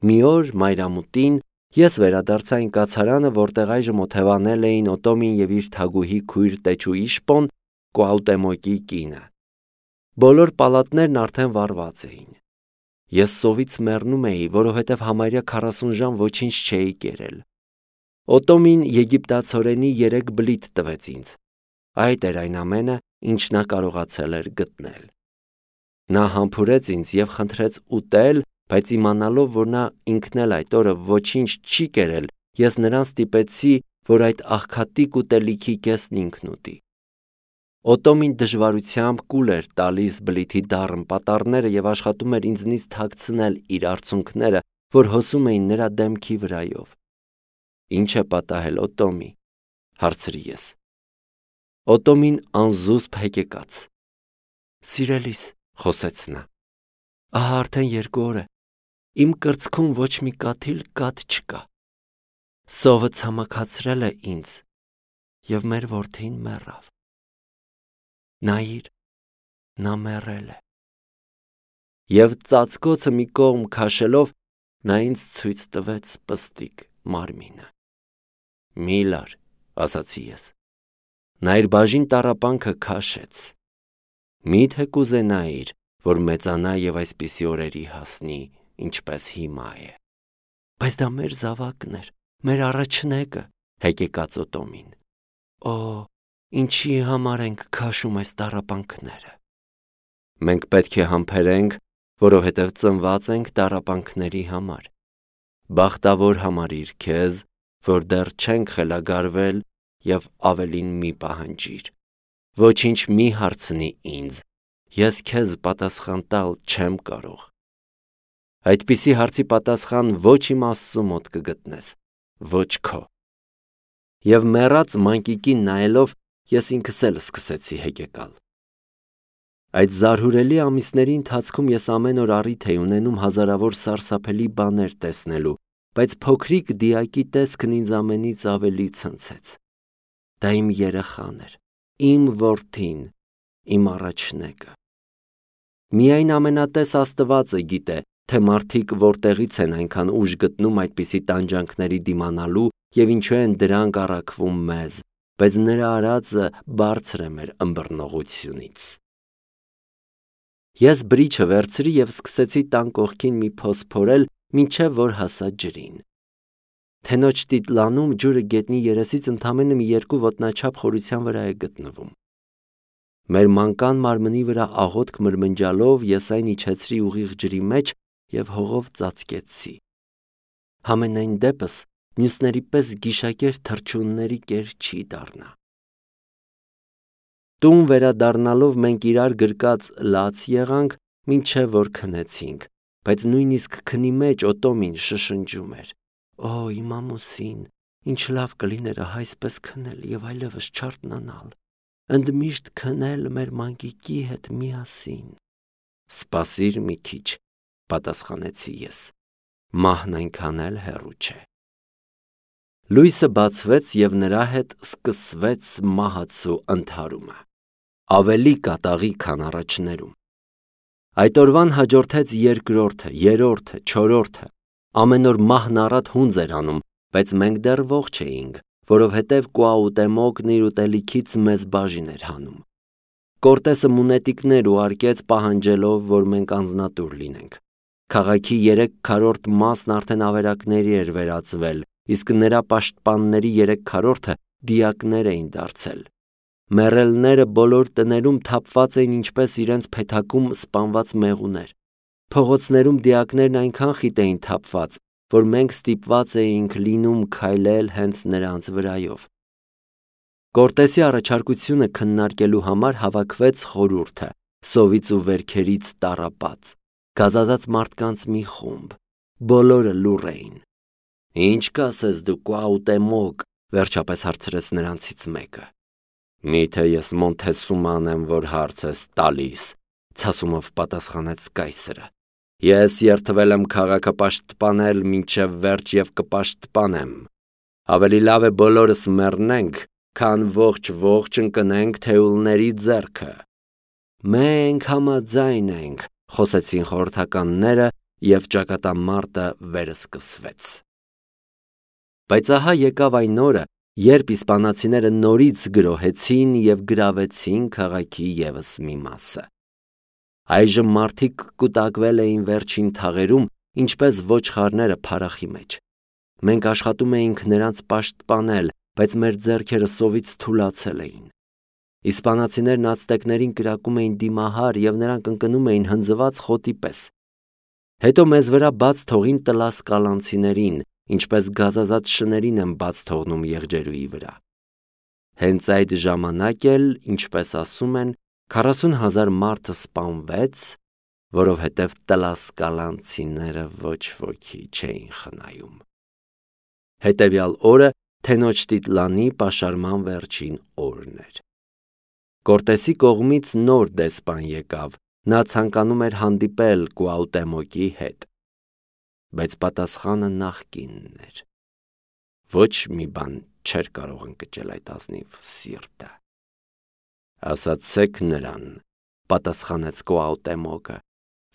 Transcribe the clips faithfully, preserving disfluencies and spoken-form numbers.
Մի օր մայրամուտին ես վերադարձա այն կացարանը, որտեղ այժմ օթևանել էին Օտոմին և իր թագուհի քույր տեչու Իշպոն, Կուաուտեմոկի կինը։ Բոլոր պալատներն արդեն վառված էին։ Ես սովից մեռնում էի, որովհետև համարյա քառասուն ժամ ոչինչ չէի կերել։ Օտոմին եգիպտացորենի երեք բլիթ տվեց ինձ։ Այդ էր այն ամենը, ինչ նա կարողացել էր գտնել։ Նա համբուրեց ինձ և խնդրեց ուտել, բայց իմանալով, որ նա ինքն էլ այդ օրը ոչինչ չի կերել, ես նրան ստիպեցի, որ այդ աղքատիկ ուտելիքի կեսն ինքն ուտի։ Օտոմին դժվարությամբ կուլ էր տալիս բլիթի դառն պատառները և աշխատում էր ինձնից թաքցնել իր արցունքները, որ հոսում էին նրա դեմքի վրայով։ Ինչ է պատահել, Օտոմի, հարցրի ես։ Օտոմին անզուսպ հեկեկաց։ Սիրելիս, խոսեց նա, ահա արդեն երկու օր է, իմ կրծքում ոչ մի կաթիլ կաթ չկա։ Սովը ցամաքացրել է ինձ, և մեր որդին մեռավ։ Նայիր, նա մեռել է։ Եվ ծածկոցը մի կողմ քաշելով, նա ինձ ցույց տվեց պստիկ մարմինը։ Մի լար, ասացի ես։ Նա իր բաժին տառապանքը քաշեց։ Մի՞թե կուզենայիր, որ մեծանա և այսպիսի օրերի հասնի, ինչպես հիմա է։ Բայց դա մեր զավակն էր, մեր առաջնեկը, հեկեկաց Օտոմին։ Օ, ինչի համար ենք քաշում այս տառապանքները։ Մենք պետք է համբերենք, որովհետև ծնված ենք տառապանքների համար։ Բախտավոր համարիր քեզ, որ դեռ չենք խելագարվել և ավելին մի պահանջիր։ Ոչինչ մի հարցնի ինձ, ես քեզ պատասխան տալ չեմ կարող։ Այդպիսի հարցի պատասխան ոչ իմ Աստծու մոտ կգտնես, ոչ քո։ Եվ մեռած մանկիկին նայելով, ես ինքս էլ սկսեցի հեկեկալ։ Այդ զարհուրելի ամիսների ընթացքում ես ամեն օր առիթ էի ունենում հազարավոր սարսափելի բաներ տեսնելու, բայց փոքրիկ դիակի տեսքն ինձ ամենից ավելի ցնցեց։ Դա իմ երեխան էր, իմ որդին, իմ առաջնեկը։ Միայն ամենատես Աստվածը գիտե, թե մարդիկ որտեղից են այնքան ուժ գտնում այդպիսի տանջանքների դիմանալու և ինչու են դրանք առաքվում մեզ, բայց նրա արածը բարձր է մեր ըմբռնողությունից։ Ես բրիչը վերցրի և սկսեցի տան կողքին մի փոս փորել, մինչև որ հասա ջրին։ Թենոջ տիտլանում ջուրը գետնի երեսից ընդամենը մի երկու ոտնաչափ խորության վրա է գտնվում։ Մեր մանկան մարմնի վրա աղոթք մրմնջալով ես այն իջեցրի ուղիղ ջրի մեջ և հողով ծածկեցի։ Համենայն դեպս մյուսների պես գիշակեր թռչունների կեր չի դառնա։ Տուն վերադառնալով մենք իրար գրկած լաց եղանք, մինչև որ քնեցինք, բայց նույնիսկ քնի մեջ Օտոմին շշնջում էր. Օ, իմ ամուսին, ինչ լավ կլիներ ահա այսպես քնել և այլևս չարթնանալ, ընդմիշտ քնել մեր մանկիկի հետ միասին։ Սպասիր մի քիչ, պատասխանեցի ես, մահն այնքան էլ հեռու չէ։ Լույսը բացվեց և նրա հետ սկսվեց մահացու ընդհարումը, ավելի կատաղի, քան առաջներում։ Այդ օրվան հաջորդեց երկրորդը, երրորդը, չորրորդը, ամեն օր մահն առատ հունձ էր անում, բայց մենք դեռ ողջ էինք, որովհետև Կուաուտեմոկն իր ուտելիքից մեզ բաժին էր հանում։ Կորտեսը մունետիկներ ուղարկեց պահանջելով, որ մենք անձնատուր լինենք։ Քաղաքի երեք քառորդ մասն արդեն ավերակների էր վերածվել, իսկ նրա պաշտպանների երեք քառորդը դիակներ էին դարձել։ Մեռելները բոլոր տներում թափված էին ինչպես իրենց փեթակում սպանված մեղուներ։ Փողոցներում դիակներն այնքան խիտ էին թափված, որ մենք ստիպված էինք լինում քայլել հենց նրանց վրայով։ Կորտեսի առաջարկությունը քննարկելու համար հավաքվեց խորհուրդը, սովից ու վերքերից տառապած, գազազած մարդկանց մի խումբ, բոլորը լուռ էին։ Ինչ կասես դու, Կուաուտեմոկ, վերջապես հարցրեց նրանցից մեկը։ Միթե ես Մոնթեսուման եմ, որ հարց ես տալիս, ցասումով պատասխանեց կայսրը։ Ես երդվել եմ քաղաքը պաշտպանել մինչև վերջ և կպաշտպանեմ։ Ավելի լավ է բոլորս մեռնենք, քան ողջ-ողջ ընկնենք թեյուլների ձեռքը։ Մենք համաձայն ենք, խոսեցին խորհրդականները, և ճակատամարտը վերսկսվեց։ Բայց ահա եկավ այն օրը, երբ իսպանացիները նորից գրոհեցին և գրավեցին քաղաքի ևս մի մասը։ Այժմ մարդիկ կուտակվել էին վերջին թաղերում, ինչպես ոչխարները փարախի մեջ։ Մենք աշխատում էինք նրանց պաշտպանել, բայց մեր ձեռքերը սովից թուլացել էին։ Իսպանացիներն ացտեկներին կրակում էին դիմահար և նրանք ընկնում էին հնձված խոտի պես։ Հետո մեզ վրա բաց թողին տլասկալանցիներին, ինչպես գազազած շներին են բաց թողնում եղջերուի վրա։ Հենց այդ ժամանակ էլ, ինչպես ասում են, քառասուն հազար մարդ սպանվեց, որովհետև տլասկալանցիները ոչ ոքի չէին խնայում։ Հետևյալ օրը Թենոչտիտլանի պաշարման վերջին օրն էր։ Կորտեսի կողմից նոր դեսպան եկավ, նա ցանկանում էր հանդիպել Կուաուտեմոկի հետ։ Բայց պատասխանը նախկինն էր։ Ոչ մի բան չէր կարող ընկճել այդ ազնիվ սիրտը։ Ասացեք նրան, պատասխանեց Կուաուտեմոկը,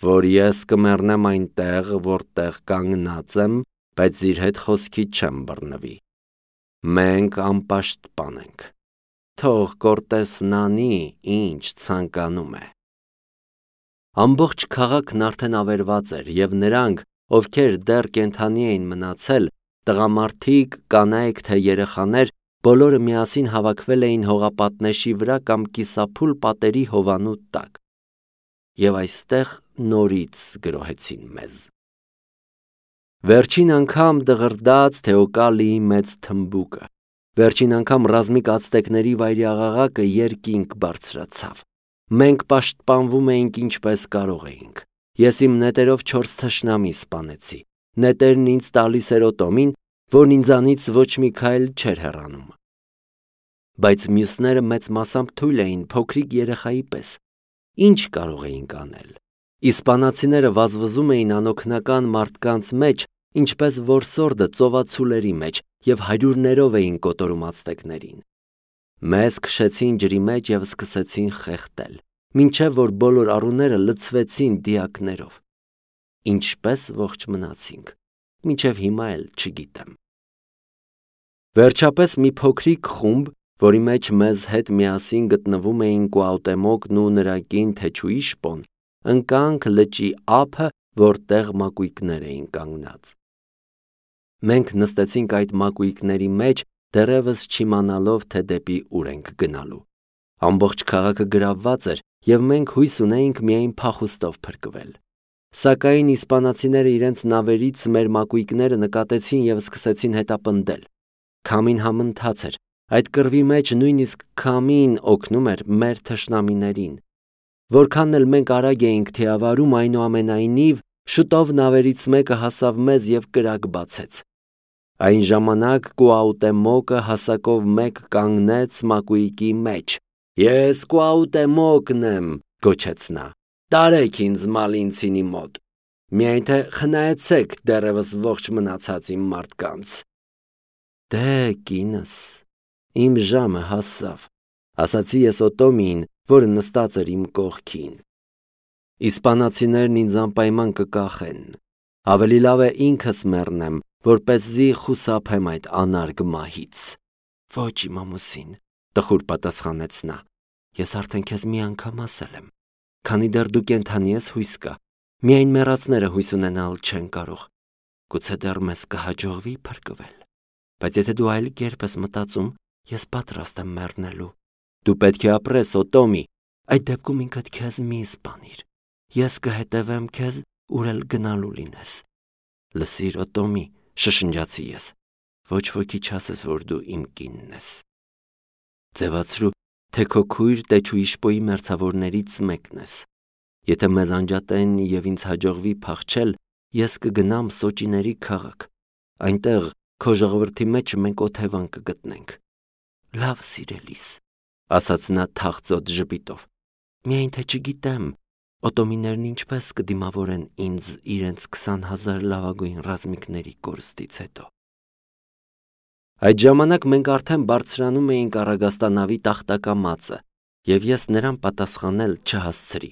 որ ես կմեռնեմ այնտեղ, որտեղ կանգնած եմ, բայց իր հետ խոսքի չեմ բռնվի։ Մենք անպաշտպան ենք։ Թող Կորտեսն անի, ինչ ցանկանում է։ Ամբողջ քաղաքն արդեն ավերված էր, և նրանք, ովքեր դեռ կենդանի էին մնացել, տղամարդիկ, կանայք թե երեխաներ, բոլորը միասին հավաքվել էին հողապատնեշի վրա կամ կիսափուլ պատերի հովանու տակ։ Եվ այստեղ նորից գրոհեցին մեզ։ Վերջին անգամ դղրդաց Թեոկալիի մեծ թմբուկը։ Վերջին անգամ ռազմիկ ացտեկների վայրիաղաղակը երկինք բարձրացավ։ Մենք պաշտպանվում էինք ինչպես կարող էինք։ Ես իմ նետերով չորս թշնամի սպանեցի։ Նետերն ինձ տալիս էր Օտոմին, որն ինձանից ոչ մի քայլ չէր հեռանում։ Բայց մյուսները մեծ մասամբ թույլ էին, փոքրիկ երեխայի պես։ Ինչ կարող էինք անել։ Իսպանացիները վազվզում էին անօգնական մարդկանց մեջ, ինչպես որսորդը ծովածուների մեջ, և հարյուրներով էին կոտորում ացտեկներին։ Մեզ քշեցին ջրի մեջ և սկսեցին խեղդել, մինչև որ բոլոր առուները լցվեցին դիակներով։ Ինչպես ողջ մնացինք, մինչև հիմա էլ չգիտեմ։ Վերջապես մի փոքրիկ խումբ, որի մեջ մեզ հետ միասին գտնվում էին Կուաուտեմոկն ու նրա կին Թեչուի շպոն, ընկանք լճի ափը, որտեղ մակույկներ էին կանգնած։ Մենք նստեցինք այդ մակույկների մեջ, դեռևս չիմանալով, թե դեպի ուր ենք գնալու։ Ամբողջ քաղաքը գրավված էր, և մենք հույս ունեինք միայն փախուստով փրկվել։ Սակայն իսպանացիները իրենց նավերից մեր մակույկները նկատեցին և սկսեցին հետապնդել։ Քամին համընթաց էր։ Այդ կռվի մեջ նույնիսկ քամին օգնում էր մեր թշնամիներին։ Որքան էլ մենք արագ էինք թիավարում, այնուամենայնիվ, շուտով նավերից մեկը հասավ մեզ և կրակ բացեց։ Այն ժամանակ Կուաուտեմոկը հասակով մեկ կանգնեց մակույկի մեջ։ «Ես Կուաուտեմոկն եմ», գոչեց նա։ «Տարեք ինձ Մալինցինի մոտ։ Միայն թե խնայեցեք դեռևս ողջ մնացած իմ մարդկանց»։ «Դե, կինս, իմ ժամը հասավ», ասացի ես Օտոմիին, որը նստած էր իմ կողքին։ Իսպանացիներն ինձ անպայման կկախեն։ Ավելի լավ է ինքս մեռնեմ, որպեսզի խուսափեմ այդ անարգ մահից։ Ոչ, իմ ամուսին, տխուր պատասխանեց նա։ Ես արդեն քեզ մի անգամ ասել եմ։ Քանի դեռ դու կենդանի ես, հույս կա։ Միայն մեռածները հույս ունենալ չեն կարող։ Գուցե դեռ մեզ կհաջողվի փրկվել։ Բայց եթե դու այլ կերպ ես մտածում, ես պատրաստ եմ մեռնելու։ Դու պետք է ապրես, Օտոմի։ Այդ դեպքում ինքդ քեզ մի սպանիր։ Ես կհետևեմ քեզ, ուր էլ գնալու լինես։ Լսիր, Օտոմի, շշնջացի ես։ Ոչ ոքի չասես, որ դու իմ կինն ես։ Ձևացրու, թե քո քույր Տեչուիշպոյի մերձավորներից մեկն ես։ Եթե մեզ անջատեն և ինձ հաջողվի փախչել, ես կգնամ Սոճիների քաղաք։ Այնտեղ քո ժողովրդի մեջ մենք օթևան կգտնենք։ Լավ, սիրելիս, ասաց նա թախծոտ ժպիտով։ Միայն թե չգիտեմ, Օտոմիներն ինչպես կդիմավորեն ինձ իրենց քսան հազար լավագույն ռազմիկների կորստից հետո։ Այդ ժամանակ մենք արդեն բարձրանում էինք առագաստանավի տախտակամածը, և ես նրան պատասխանել չհասցրի։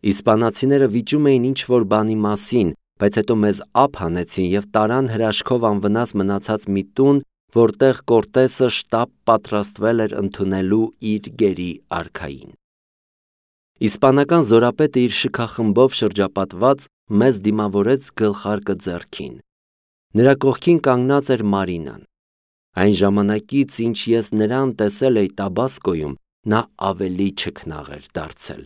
Իսպանացիները վիճում էին ինչ-որ բանի մասին, բայց հետո մեզ ափ հանեցին և տարան հրաշքով անվնաս մնացած մի տուն, որտեղ Կորտեսը շտապ պատրաստվել էր ընդունելու իր գերի արքային։ Իսպանական զորապետը իր շքախմբով շրջապատված մեզ դիմավորեց գլխարկը ձեռքին։ Նրա կողքին կանգնած էր Մարինան։ Այն ժամանակից, ինչ ես նրան տեսել էի Տաբասկոյում, նա ավելի չքնաղ էր դարձել։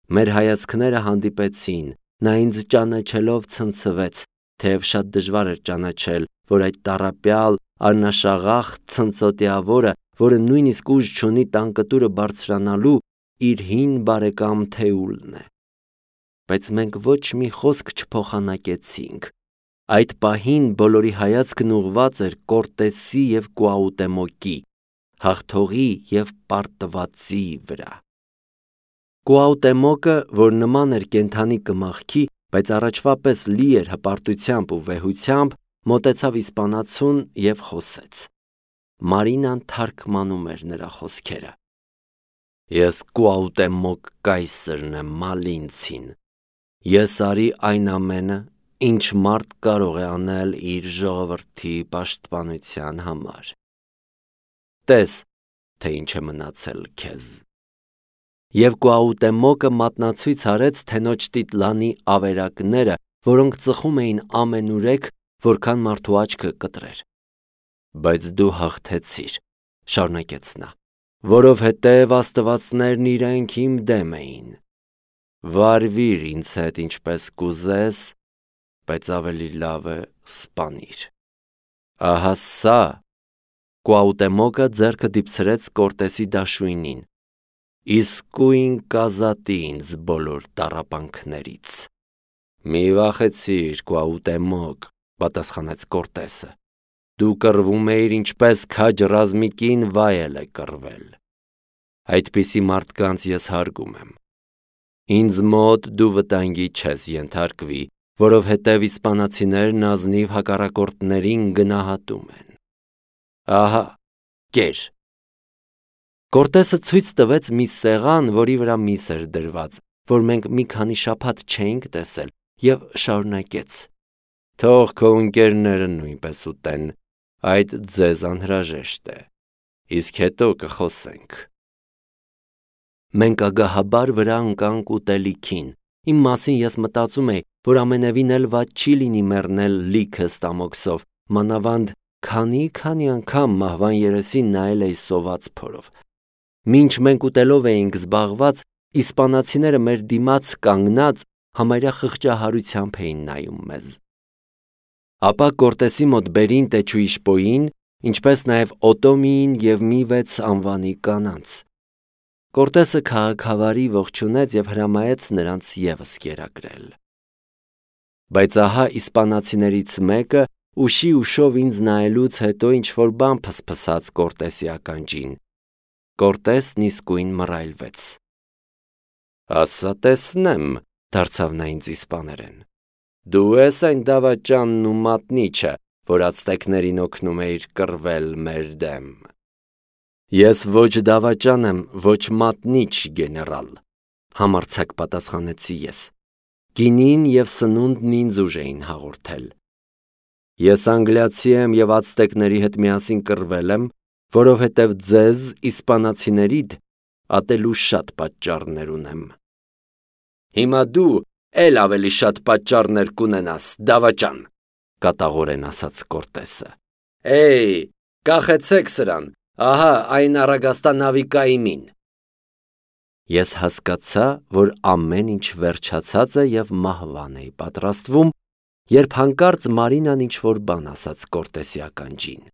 Մեր հայացքները հանդիպեցին, նա ինձ ճանաչելով ցնցվեց, թեև շատ դժվար էր ճանաչել, որ այդ տառապյալ, արնաշաղախ ցնծոտիավորը, որը նույնիսկ ուժ չունի տանկտուրը բարձրանալու, իր հին բարեկամ Թեուլն է։ Բայց մենք ոչ մի խոսք չփոխանակեցինք։ Այդ պահին բոլորի հայացքն ուղղված էր Կորտեսի և Կուաուտեմոկի, հաղթողի և պարտվածի վրա։ Կուաուտեմոկը, որ նման էր կենդանի կմախքի, բայց առաջվա պես լի էր հպարտությամբ ու վեհությամբ, մոտեցավ իսպանացուն և խոսեց։ Մարինան թարգմանում էր նրա խոսքերը։ Ես Կուաուտեմոկ կայսրն եմ, Մալինցին։ Ես արի այն ամենը, ինչ մարդ կարող է անել իր ժողովրդի պաշտպանության համար։ Տես, թե ինչ է մնացել քեզ։ Եվ Կուաուտեմոկը մատնացույց արեց թենոջ տիտլանի ավերակները, որոնք ծխում էին ամենուրեք, որքան մարդու աչքը կտրեր։ Բայց դու հաղթեցիր, շարունակեց նա, որովհետև աստվածներն իրենք իմ դեմ էին։ Վարվիր ինձ հետ ինչպես կուզես, բայց ավելի լավ է սպանիր։ Ահա սա, Կուաուտեմոկը ձեռքը դիպցրեց Կորտեսի դաշույնին, իսկույն կազատի ինձ բոլոր տառապանքներից։ Մի վախեցիր, Կուաուտեմոկ, պատասխանեց Կորտեսը, դու կռվում էիր ինչպես քաջ ռազմիկին վայել է կռվել։ Այդպիսի մարդկանց ես հարգում եմ։ Ինձ մոտ դու վտանգի չես ենթարկվի, որովհետև իսպանացիներն ազնիվ հակառակորդներին գնահատում են։ Ահա, կեր։ Կորտեսը ցույց տվեց մի սեղան, որի վրա միս էր դրված, որ մենք մի քանի շաբաթ չէինք տեսել, և շարունակեց. Թող քո ընկերները նույնպես ուտեն, այդ ձեզ անհրաժեշտ է, իսկ հետո կխոսենք։ Մենք ագահաբար վրա ընկանք ուտելիքին։ Իմ մասին ես մտածում էի, որ ամենևին էլ վատ չի լինի մեռնել լիքը ստամոքսով, մանավանդ քանի-քանի անգամ մահվան երեսին նայել էի սոված փորով։ Մինչ մենք ուտելով էինք զբաղված, իսպանացիները մեր դիմաց կանգնած համարյա խղճահարությամբ էին նայում մեզ։ Ապա Կորտեսի մոտ բերին Տեչուիշպոյին, ինչպես նաև Օտոմիին և մի վեց անվանի կանանց։ Կորտեսը քաղաքավարի ողջունեց և հրամայեց նրանց ևս կերակրել։ Բայց ահա իսպանացիներից մեկը ուշի ուշով ինձ նայելուց հետո ինչ-որ բան փսփսաց Կորտեսի ականջին։ Կորտեսն իսկույն մռայլվեց։ Ասա տեսնեմ, դարձավ նա ինձ իսպաներեն։ Դու ես այն դավաճանն ու մատնիչը, որ ացտեկներին օգնում էիր կռվել մեր դեմ։ Ես ոչ դավաճան եմ, ոչ մատնիչ, գեներալ, համարձակ պատասխանեցի ես։ Գինին և սնունդն ինձ ուժ էին հաղորդել։ Ես անգլիացի եմ և ացտեկների հետ միասին կռվել եմ, որովհետև ձեզ, իսպանացիներիդ, ատելու շատ պատճառներ ունեմ։ Հիմա դու էլ ավելի շատ պատճառներ կունենաս, դավաճան, կատաղորեն ասաց Կորտեսը։ Էյ, կախեցեք սրան, ահա այն առագաստա նավիկայի մին։ Ես հասկացա, որ ամեն ինչ վերջացած է և մահվան էի պատրաստվում, երբ հանկարծ Մարինան ինչ-որ բան ասաց Կորտեսի ականջին։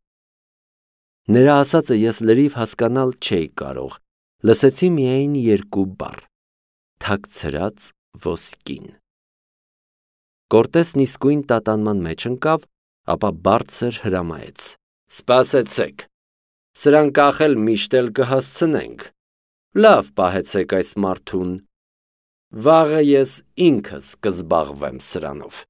Նրա ասածը ես լրիվ հասկանալ չէի կարող, լսեցի միայն երկու բառ. թաքցրած ոսկին։ Կորտեսն իսկույն տատանման մեջ ընկավ, ապա բարձր հրամայեց. Սպասեցեք, սրան կախել միշտ էլ կհասցնենք, լավ պահեցեք այս մարդուն, վաղը ես ինքս կզբաղվեմ սրանով։